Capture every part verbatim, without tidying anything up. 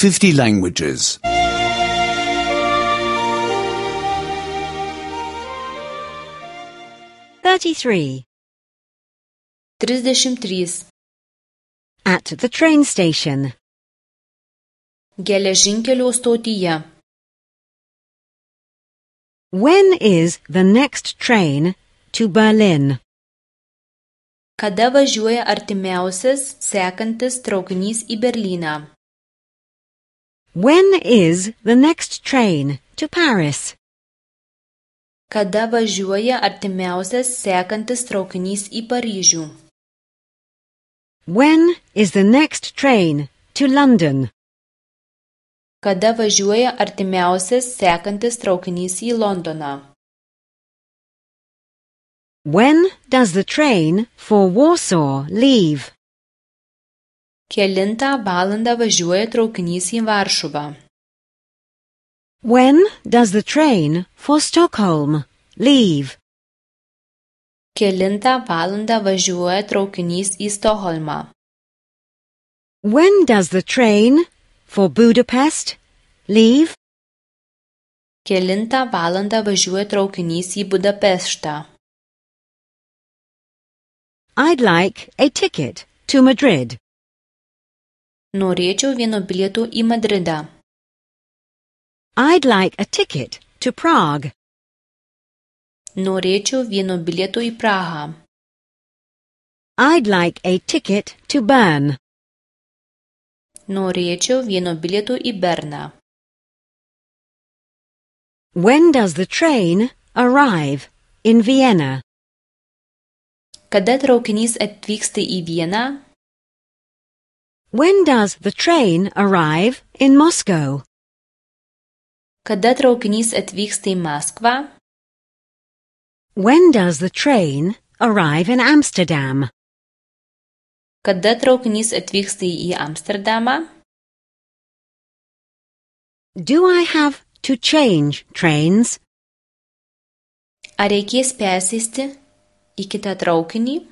fifty languages. thirty-three. Trisdešimt trys. At the train station. Geležinkelio stotyje. When is the next train to Berlin? Kada važiuoja artimiausias sekantis traukinys į Berlyną? When is the next train to Paris? Kada važiuoja artimiausias sekantis traukinys į Paryžių? When is the next train to London? Kada važiuoja artimiausias sekantis traukinys į Londoną? When does the train for Warsaw leave? Kelintą valandą važiuoja traukinys į Varšuvą? When does the train for Stockholm leave? Kelintą valandą važiuoja traukinys į Stokholmą? When does the train for Budapest leave? Kelintą valandą važiuoja traukinys į Budapeštą? I'd like a ticket to Madrid. Norėčiau vieno bilieto į Madridą. I'd like a ticket to Prague. Norėčiau vieno bilieto į Prahą. I'd like a ticket to Bern. Norėčiau vieno bilieto į Berną. When does the train arrive in Vienna? Kada traukinys atvyksta į Vieną? When does the train arrive in Moscow? Kada traukinys atvyksta į Maskvą? When does the train arrive in Amsterdam? Kada traukinys atvyksta į Amsterdamą? Do I have to change trains? Ar reikės persėsti į kitą traukinį?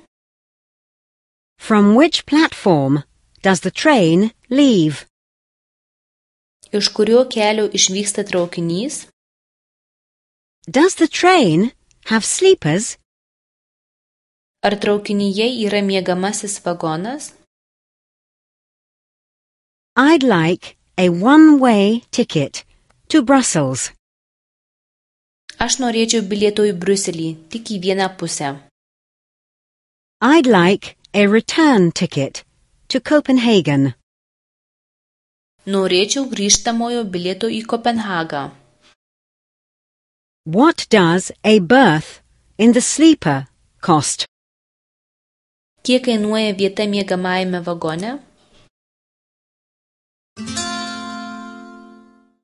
From which platform does the train leave? Iš kurio kelio išvyksta traukinys? Does the train have sleepers? Ar traukinyje yra miegamasis vagonas? I'd like a one-way ticket to Brussels. Aš norėčiau bilieto į Briuselį, tik į vieną pusę. I'd like a return ticket to Copenhagen. Norėčiau grįžtamojo bilieto į Kopenhagą. What does a berth in the sleeper cost? Kiek kainuoja vieta miegamajame vagone?